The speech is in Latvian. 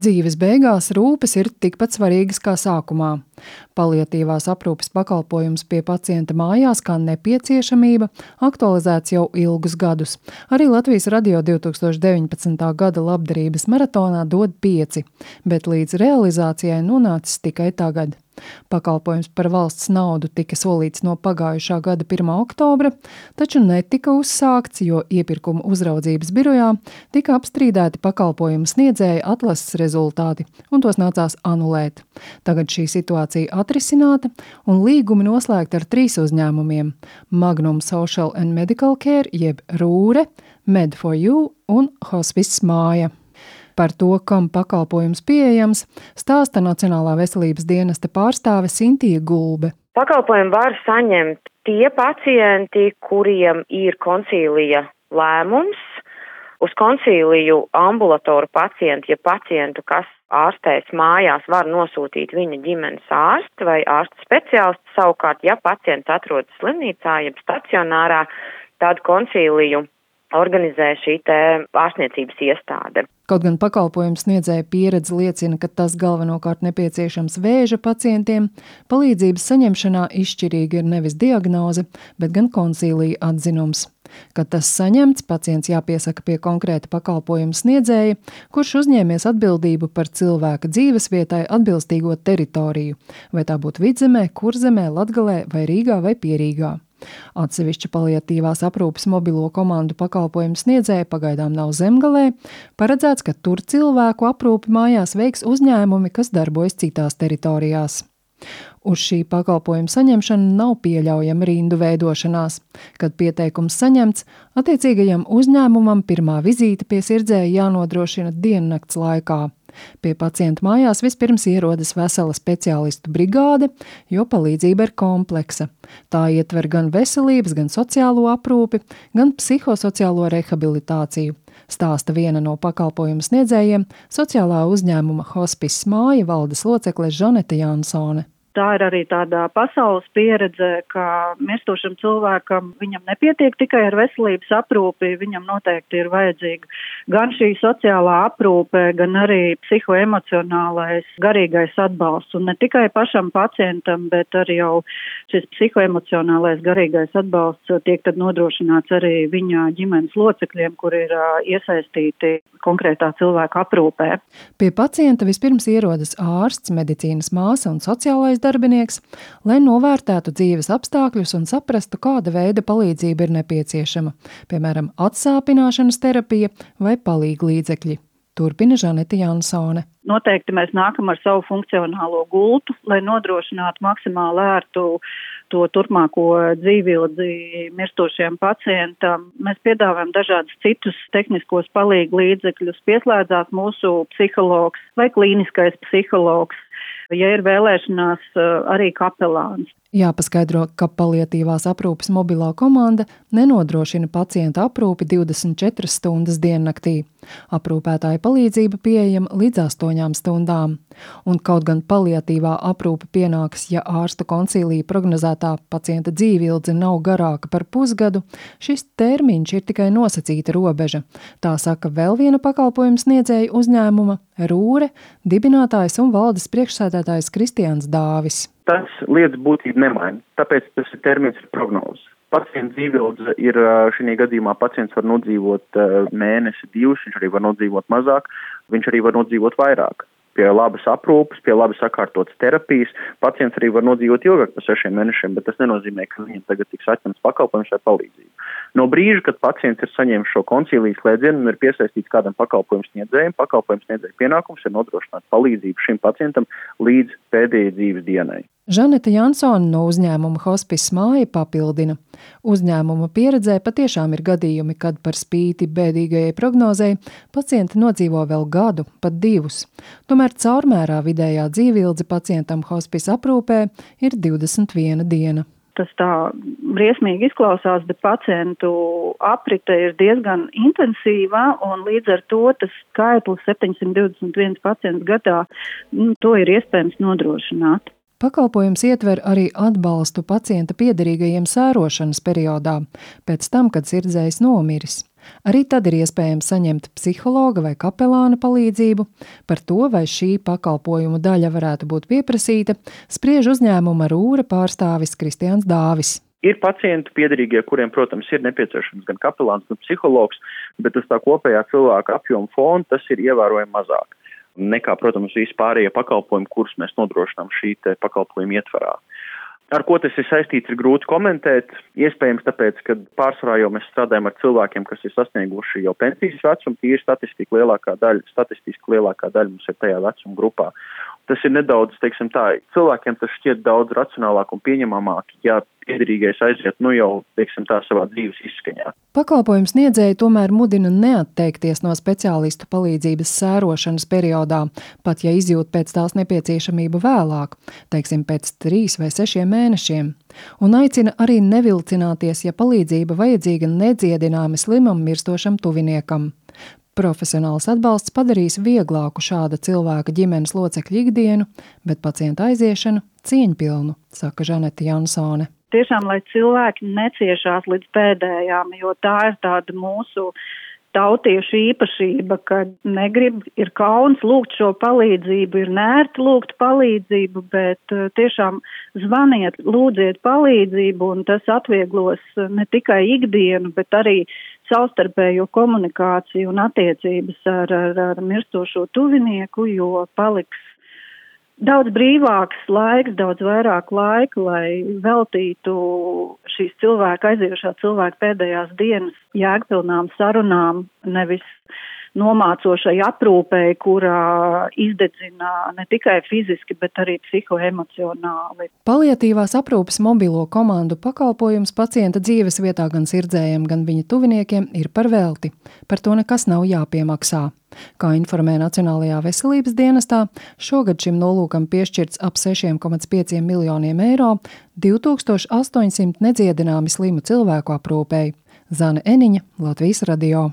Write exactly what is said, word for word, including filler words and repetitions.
Dzīves beigās rūpes ir tikpat svarīgas kā sākumā. Paliatīvās aprūpes pakalpojums pie pacienta mājās kā nepieciešamība aktualizēts jau ilgus gadus. Arī Latvijas radio divi tūkstoši deviņpadsmitā gada labdarības maratonā dod pieci, bet līdz realizācijai nonācis tikai tagad. Pakalpojums par valsts naudu tika solīts no pagājušā gada pirmā oktobra, taču netika uzsākts, jo iepirkuma uzraudzības birojā tika apstrīdēti pakalpojumu sniedzēja atlases rezultāti, un tos nācās anulēt. Tagad šī situācija atrisināta, un līgumi noslēgti ar trīs uzņēmumiem – Magnum Social and Medical Care, jeb Rūre, Med for You un Hospice Māja. Par to, kam pakalpojums pieejams, stāsta Nacionālā veselības dienesta pārstāve Sintija Gulbe. Pakalpojumu var saņemt tie pacienti, kuriem ir konsīlija lēmums. Uz konsīliju ambulatoru pacientu, ja pacientu, kas ārstēs mājās, var nosūtīt viņa ģimenes ārsti vai ārsta speciālisti. Savukārt, ja pacients atrodas slimnīcā, jeb stacionārā, tad konsīliju organizē šī te ārstniecības iestāde. Kaut gan pakalpojums sniedzēja pieredze liecina, ka tas galvenokārt nepieciešams vēža pacientiem, palīdzības saņemšanā izšķirīga ir nevis diagnoze, bet gan konsīlija atzinums. Kad tas saņemts, pacients jāpiesaka pie konkrēta pakalpojuma sniedzēja, kurš uzņēmies atbildību par cilvēka dzīvesvietai atbilstīgo teritoriju, vai tā būtu Vidzemē, Kurzemē, Latgalē vai Rīgā vai Pierīgā. Atsevišķa paliatīvās aprūpes mobilo komandu pakalpojumu sniedzēja pagaidām nav Zemgalē, paredzēts, ka tur cilvēku aprūpi mājās veiks uzņēmumi, kas darbojas citās teritorijās. Uz šī pakalpojuma saņemšanu nav pieļaujama rindu veidošanās. Kad pieteikums saņemts, attiecīgajam uzņēmumam pirmā vizīte pie sirdzēja jānodrošina diennakts laikā. Pie pacienta mājās vispirms ierodas vesela speciālistu brigāde, jo palīdzība ir kompleksa. Tā ietver gan veselības, gan sociālo aprūpi, gan psihosociālo rehabilitāciju, stāsta viena no pakalpojumu sniedzējiem, sociālā uzņēmuma Hospice Māja valdes locekle Žanete Jansone. Tā ir arī tāda pasaules pieredze, ka mirstošam cilvēkam viņam nepietiek tikai ar veselības aprūpi, viņam noteikti ir vajadzīga gan šī sociālā aprūpe, gan arī psihoemocionālais garīgais atbalsts. Un ne tikai pašam pacientam, bet arī jau šis psihoemocionālais garīgais atbalsts tiek tad nodrošināts arī viņa ģimenes locekļiem, kur ir iesaistīti konkrētā cilvēka aprūpē. Pie pacienta vispirms ierodas ārsts, medicīnas māsa un sociālais darbinieks, lai novērtētu dzīves apstākļus un saprastu, kāda veida palīdzība ir nepieciešama, piemēram, atsāpināšanas terapija vai palīglīdzekļi. Turpina Žanete Jansone. Noteikti mēs nākam ar savu funkcionālo gultu, lai nodrošinātu maksimāli ērtu to turpmāko dzīvildzi mirstošiem pacientam. Mēs piedāvājam dažādus citus tehniskos palīglīdzekļus, pieslēdzās mūsu psihologs vai klīniskais psihologs, ja ir vēlēšanās arī kapelāns. Jāpaskaidro, ka paliatīvās aprūpes mobilā komanda nenodrošina pacienta aprūpi divdesmit četras stundas diennaktī. Aprūpētāja palīdzība pieejama līdz astoņām stundām. Un kaut gan paliatīvā aprūpe pienāks, ja ārstu konsīlija prognozētā pacienta dzīvildze nav garāka par pusgadu, šis termiņš ir tikai nosacīta robeža. Tā saka vēl viena pakalpojuma sniedzēja uzņēmuma Rūre, dibinātājs un valdes priekšsēdētājs Kristians Dāvis. Tas lietas būtību nemaina, tāpēc tas ir termins ir prognozes. Pacienta dzīvildze ir šī gadījumā pacients var nodzīvot mēnesi, divus, viņš arī var nodzīvot mazāk, viņš arī var nodzīvot vairāk. Pie labas aprūpes, pie labi sakārtotas terapijas, pacients arī var nodzīvot ilgāk par sešiem mēnešiem, bet tas nenozīmē, ka viņam tagad tiks atņemts pakalpojums vai palīdzība. No brīža, kad pacients ir saņēmis šo konsīlijas slēdzienu un ir piesaistīts kādam pakalpojumu sniedzējiem, pakalpojumu sniedzēja pienākums ir nodrošināt palīdzību šim pacientam līdz pēdējai dzīves dienai. Žanete Jansone no uzņēmuma Hospice Māja papildina. Uzņēmuma pieredzē patiešām ir gadījumi, kad par spīti bēdīgajai prognozei pacienti nodzīvo vēl gadu, pat divus. Tomēr caurmērā vidējā dzīvildze pacientam hospice aprūpē ir divdesmit viena diena. Tas tā briesmīgi izklausās, bet pacientu aprite ir diezgan intensīva un līdz ar to tas skaitlis septiņsimt divdesmit viens pacients gadā, nu, to ir iespējams nodrošināt. Pakalpojums ietver arī atbalstu pacienta piederīgajiem sērošanas periodā, pēc tam, kad sirdzējs nomiris. Arī tad ir iespējams saņemt psihologa vai kapelāna palīdzību. Par to, vai šī pakalpojumu daļa varētu būt pieprasīta, spriež uzņēmuma Rūra pārstāvis Kristiāns Dāvis. Ir pacienti piederīgie, kuriem, protams, ir nepieciešams gan kapelāns, gan psihologs, bet tas tā kopējā cilvēka apjoma fona, tas ir ievērojami mazāk nekā, protams, vispārējie pakalpojumi, kurus mēs nodrošinām šī te pakalpojuma ietvarā. Ar ko tas ir saistīts, ir grūti komentēt. Iespējams tāpēc, ka pārsvarā jau mēs strādājam ar cilvēkiem, kas ir sasnieguši jau pensijas vecumu, tīri statistika lielākā daļa, statistiski lielākā daļa mums ir tajā vecuma grupā. Tas ir nedaudz, teiksim tā, cilvēkiem tas šķiet daudz racionālāk un pieņemamāk, ja piederīgais aiziet, nu jau, teiksim tā, savā dzīves izskaņā. Pakalpojums sniedzēji tomēr mudina neatteikties no speciālistu palīdzības sērošanas periodā, pat ja izjūt pēc tās nepieciešamību vēlāk, teiksim pēc trīs vai sešiem mēnešiem, un aicina arī nevilcināties, ja palīdzība vajadzīga nedziedināmi slimam mirstošam tuviniekam. Profesionāls atbalsts padarīs vieglāku šāda cilvēka ģimenes locekļu ikdienu, bet pacienta aiziešanu cieņpilnu, saka Žaneta Jansone. Tiešām, lai cilvēki neciešās līdz pēdējām, jo tā ir tāda mūsu tautiešu īpašība, ka negrib, ir kauns lūgt šo palīdzību, ir nērti lūgt palīdzību, bet tiešām zvaniet, lūdziet palīdzību, un tas atvieglos ne tikai ikdienu, bet arī savstarpējo komunikāciju un attiecības ar, ar, ar mirstošo tuvinieku, jo paliks daudz brīvāks laiks, daudz vairāk laika, lai veltītu šīs cilvēka, aiziejušā cilvēka pēdējās dienas jēgpilnām sarunām, nevis nomācošai aprūpei, kurā izdedzina ne tikai fiziski, bet arī psihoemocionāli. Paliatīvās aprūpes mobilo komandu pakalpojums pacienta dzīves vietā gan sirdzējiem, gan viņa tuviniekiem ir par velti. Par to nekas nav jāpiemaksā. Kā informē Nacionālajā veselības dienestā, šogad šim nolūkam piešķirts ap seši komats pieci miljoniem eiro divi tūkstoši astoņsimt nedziedināmi slimu cilvēku aprūpei. Zane Eniņa, Latvijas radio.